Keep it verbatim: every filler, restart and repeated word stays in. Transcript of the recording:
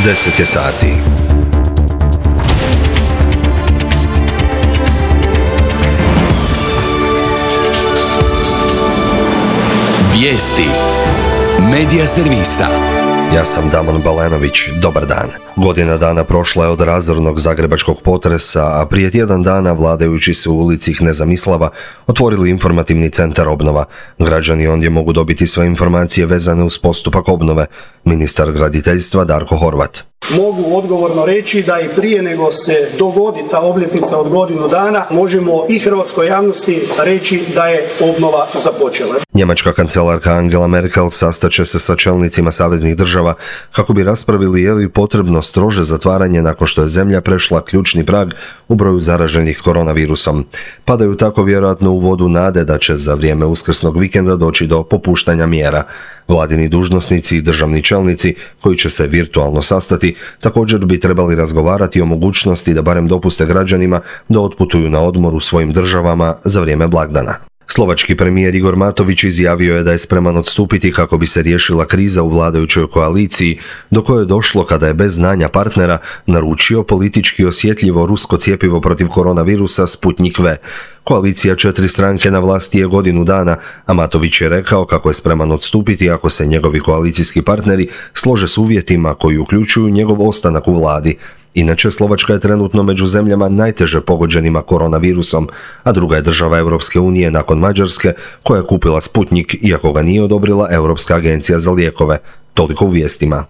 deset je sati. Vijesti Medija servisa. Ja sam Damon Balenović, dobar dan. Godina dana prošla je od razornog zagrebačkog potresa, a prije tjedan dana vladajući su u ulici Kneza otvorili informativni centar obnova. Građani ondje mogu dobiti sve informacije vezane uz postupak obnove. Ministar graditeljstva Darko Horvat. Mogu odgovorno reći da i prije nego se dogodi ta obljetnica od godinu dana, možemo i hrvatskoj javnosti reći da je obnova započela. Njemačka kancelarka Angela Merkel sastaće se sa čelnicima saveznih država kako bi raspravili je li potrebno strože zatvaranje nakon što je zemlja prešla ključni prag u broju zaraženih koronavirusom. Padaju tako vjerojatno u vodu nade da će za vrijeme uskrsnog vikenda doći do popuštanja mjera. Vladini dužnosnici i državni čelnici koji će se virtualno sastati također bi trebali razgovarati o mogućnosti da barem dopuste građanima da otputuju na odmor u svojim državama za vrijeme blagdana. Slovački premijer Igor Matović izjavio je da je spreman odstupiti kako bi se riješila kriza u vladajućoj koaliciji, do koje je došlo kada je bez znanja partnera naručio politički osjetljivo rusko cjepivo protiv koronavirusa Sputnik V. Koalicija četiri stranke na vlasti je godinu dana, a Matović je rekao kako je spreman odstupiti ako se njegovi koalicijski partneri slože s uvjetima koji uključuju njegov ostanak u vladi. Inače, Slovačka je trenutno među zemljama najteže pogođenima koronavirusom, a druga je država Europske unije nakon Mađarske koja je kupila Sputnik iako ga nije odobrila Europska agencija za lijekove. Toliko u vijestima.